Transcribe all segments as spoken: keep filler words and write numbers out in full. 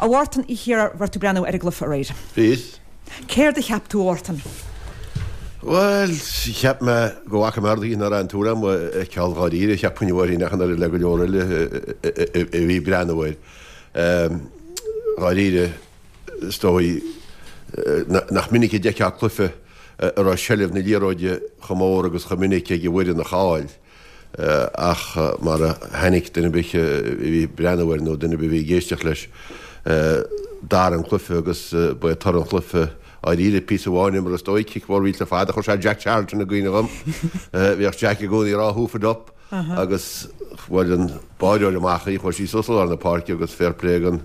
A Mhártain Uí Chiardha, raibh tú ag breathnú ar an gcluiche aréir? Bhíos. Céard a cheap tú, a Mhártain? Bhuel, cheap mé go bhfaca mé rudaí nach raibh an tuairim agam a fheiceáil dháiríre, cheapfainn uairín ach an oiread le go leor eile a bhí ag breathnú air. Dháiríre, is dóigh nach minic a d'fheicfeá cluiche a raibh seilbh na liathróide chomh mór agus chomh minic ag an bhfoireann a chaill. Ach mar a tháinig duine ar bith a bhí ag breathnú air nó duine ar bith a bhí ag éisteacht leis, d'athraigh an cluiche agus ba é toradh an chluiche dháiríre píosa amháin imeartha is dóigh, cic mhór mhillteach fada a chuir sé Jack Charlton i gcuimhne dhom. Bhíodh Jack i gcónaí ag rá hoof it up agus bhuail an báireoir amach í, chuaigh sí suas i lár na páirce agus fair play don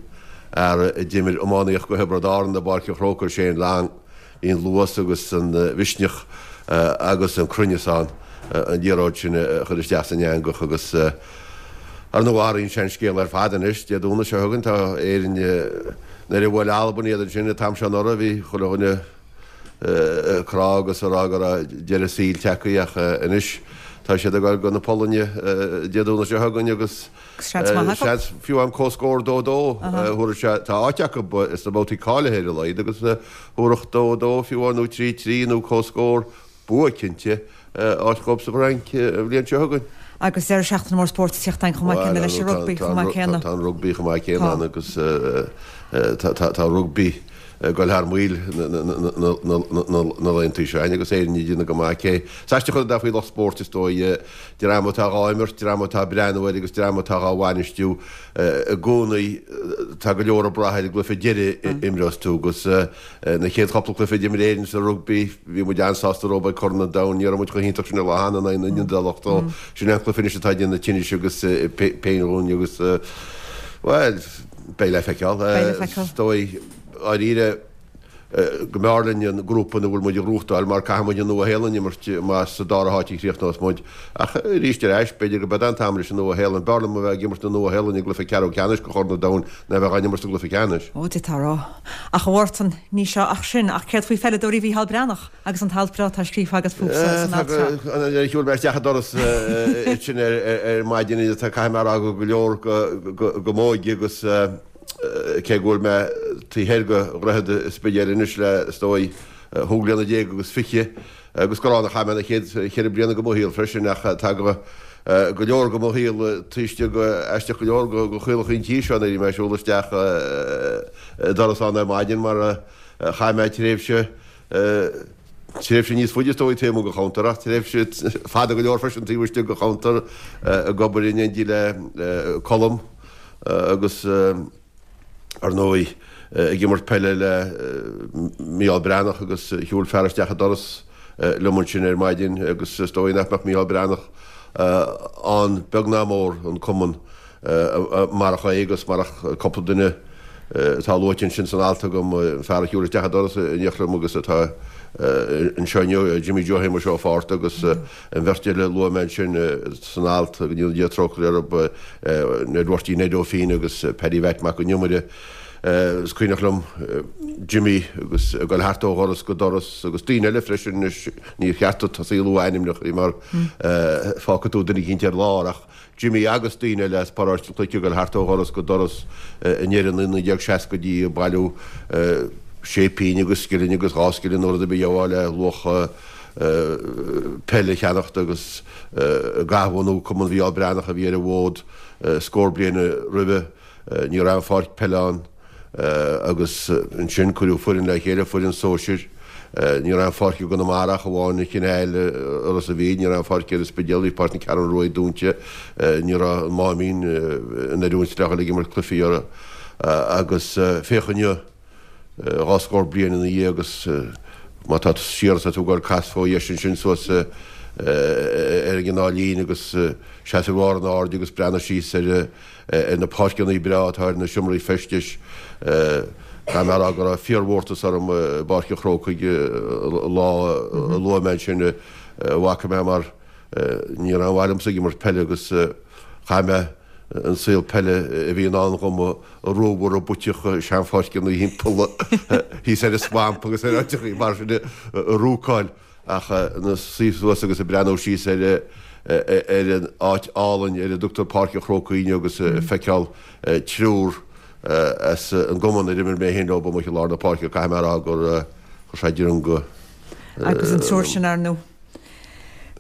fhear a d'imir iománaíocht do Thiobraid Árann i bPáirc an Chrócaigh, Shane Long. Bhí an luas agus an mhisneach agus an cruinneas ann an liathróid sin a chur isteach san eangach agus ar ndóigh athraíonn sé an scéal ar fad anois. Dé Domhnaigh seo chugainn tá Éirinn nuair a bhuail Albain iad ansin an t-am seo anuraidh bhí chuile dhuine ag crá agus ag rá go raibh deireadh saoil tagtha ach anois tá siad ag dul go na Polainne Dé Domhnaigh seo chugainn agus Seans maith acu. Seans fiú amháin comhscór dó dó thabharfadh sé, tá áit acu sna babhtaí cáilithe ar a laghad agus thabharfadh dó dó fiú amháin nó trí trí nó comhscór bua cinnte áit dhóibh sa bhFrainc an bhliain seo chugainn. Agus deireadh seachtaine mór spóirt ag teacht ann chomh maith céanna leis an rugbaí chomh maith céanna. Tá an rugbaí chomh maith céanna ann agus tá rugbaí ag dul thar maoil na laethanta seo agus Éirinn ag déanamh go maith. Cé is aisteach an rud é faoi lucht spóirt is dóigh, dream atá dhá imirt, dream atá ag breathnú air agus dream atá dhá bhainistiú i gcónaí tá go leor ag brath ar an gcluiche deiridh a imreos tú agus na chéad chúpla cluiche a d'imir Éirinn sa rugbaí bhí muid an-sásta rompu ag Corn an Domhain, ní raibh muid chomh hiontach sin an lá cheana in aghaidh na nIodálach so sin é an cluiche anois atá ag déanamh tinnis agus péin dhúinn agus bhuel beidh le feiceáil. Beidh le feiceáil. Is dóigh. Dháiríre, go mb'fhearr linn an grúpa ina bhfuil muid a ghnóthachtáil mar caithfidh muid an Nua-Shéalainn a imirt más sa dara háit a chríochnós muid. Ach arís ar ais, b'fhéidir go mbeidh an t-am leis an Nua-Shéalainn. B'fhearr liom a bheith ag imirt na Nua-Shéalainne i gcluiche ceathrú ceannais de Chorn an Domhain ná a bheith á n-imirt sa gcluiche ceannais. Ó, d'fhéadfá a rá. Ach a Mhártain, ní seo ach sin. Ach céard faoi pheileadóirí Mhícheál Breathnach agus an t-alt breá atá scríofa agat fúthu san alt seo? Nuair a shiúil mé isteach an doras ansin ar maidin, caithfidh mé a rá go go leor go m'óige agus, Cé go bhfuil mé taobh thoir de Dhroichead an Spidéil anois le, is dóigh, chúig bliana déag agus fiche, agus gur ann a chaith mé na chéad cheithre bliana de mo shaol freisin, ach tá go go leor de mo shaol taobh istigh de, aisteach go leor, de chaolacha an tí seo nuair a bhí mé ag siúl isteach an doras ann ar maidin mar chaith mé tréimhse, tréimhse níos faide is dóigh taobh amuigh den cheantar ach tréimhse fada go leor freisin taobh istigh den cheantar ag obair in éindí le Colm. Agus ar ndóigh ag imirt peile le Mícheál Breathnach agus shiúil fear isteach an doras liom ansin ar maidin agus is dóigh nach mbeadh Mícheál Breathnach ann beag ná mór, an cumann, marach é agus marach cúpla duine atá luaite ansin san alt agam, an fear a shiúil isteach an doras in éineacht liom agus atá anseo inniu, Jimmy Joe Shéamuis Ó Fátharta agus an bheirt eile a luaigh mé ansin san alt, go ndéana Dia trócaire orthu, Ned Mhurty Ned Ó Finn agus Paddy Mhatt Mac an Iomaire. Is cuimhneach liom Jimmy agus ag dul thart ó dhoras go doras agus daoine eile freisin anois, níor cheart duit tosaí ag lua ainmneacha mar fágfaidh tú duine eicínt ar lár ach Jimmy agus daoine eile as paróiste an Chnoic ag dul thart ó dhoras go doras i ndeireadh na naoi déag seascaidí ag bailiú sé pingin agus scilling agus dhá scilling nó rud ar bith a gheofá le luach peile a cheannacht agus ag athbhunú Cumann Mhícheál Breathnach a bhí ar an bhfód scór bliain roimhe. Ní raibh aon pháirc peile ann agus ansin cuireadh foireann le chéile, foireann sóisir. Ní raibh aon pháirc i gConamara ach amháin an Chineál i Ros a' Mhíl, ní raibh aon pháirc ar an Spidéal, bhí Páirc na Ceathrún Ruaidh dúnta, ní raibh an Máimín in oiriúint le dhul ag imirt cluichí orthu agus féach inniu, dhá scór bliain ina dhiaidh agus má tá tú siar is tá tú ag goil cas fó dheis ansin suas ar an gCineál Lín agus seas ar bharr an aird agus breathnaigh síos ar ar na páirceanna breá atá ar na seomraí feistis. Caithfidh mé a rá go raibh fíormhórtas orm i bPáirc an Chrócaigh an lá a luaigh mé ansin a bhfaca mé mar ní raibh aon mhaith liomsa ag imirt peile agus chaith mé an saol peile a bhí i ndán dhom ag rómhar puiteach seanpháirceanna thimpeall thíos ar an Swamp agus ar áiteachaí mar sin ag rúcáil. Ach ina suí suas agus ag breathnú síos ar ar an áit álainn ar a dtugtar Páirc an Chrócaigh inniu agus ag feiceáil triúr as an gcumann ar imir mé féin leo amuigh i lár na páirce, caithfidh mé a rá gur chuir sé droim go. Agus an triúr sin, ar ndóigh.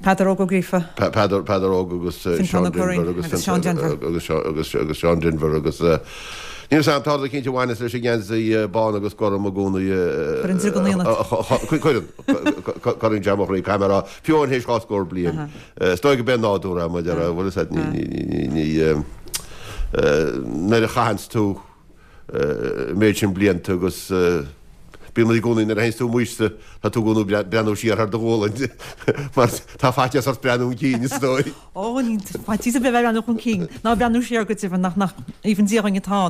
Peadar Óg Ó Gríofa. Peadar, Peadar Óg agus Seán Denvir agus Seán Denvir. Agus, agus, agus Seán Denvir agus níl 'fhios a'm, tá rud eicínt a bhaineas leis an ngeansaí bán agus gorm i gcónaí. Cuireann driog in ionad. Cuireann, cuireann sé mo chroí, caithfidh mé a rá, fiú amháin théis dhá scór bliain. Is dóigh go b'é nádúr é, mar a déarfá, bhfuil 'fhios a'd, ní, ní, ní, ní, nuair a chaitheanns tú an méid sin blianta agus bíonn i gcónaí nuair a théanns tú amuigh tá tú i gcónaí ag breathnú siar thar do ghualainn mar tá faitíos ort breathnú chun cinn is dóigh. Ó, ní faitíos ar bith a bheith ag breathnú chun cinn ná breathnú siar go deimhin nach nach aoibhinn Dia dhúinn atá ann.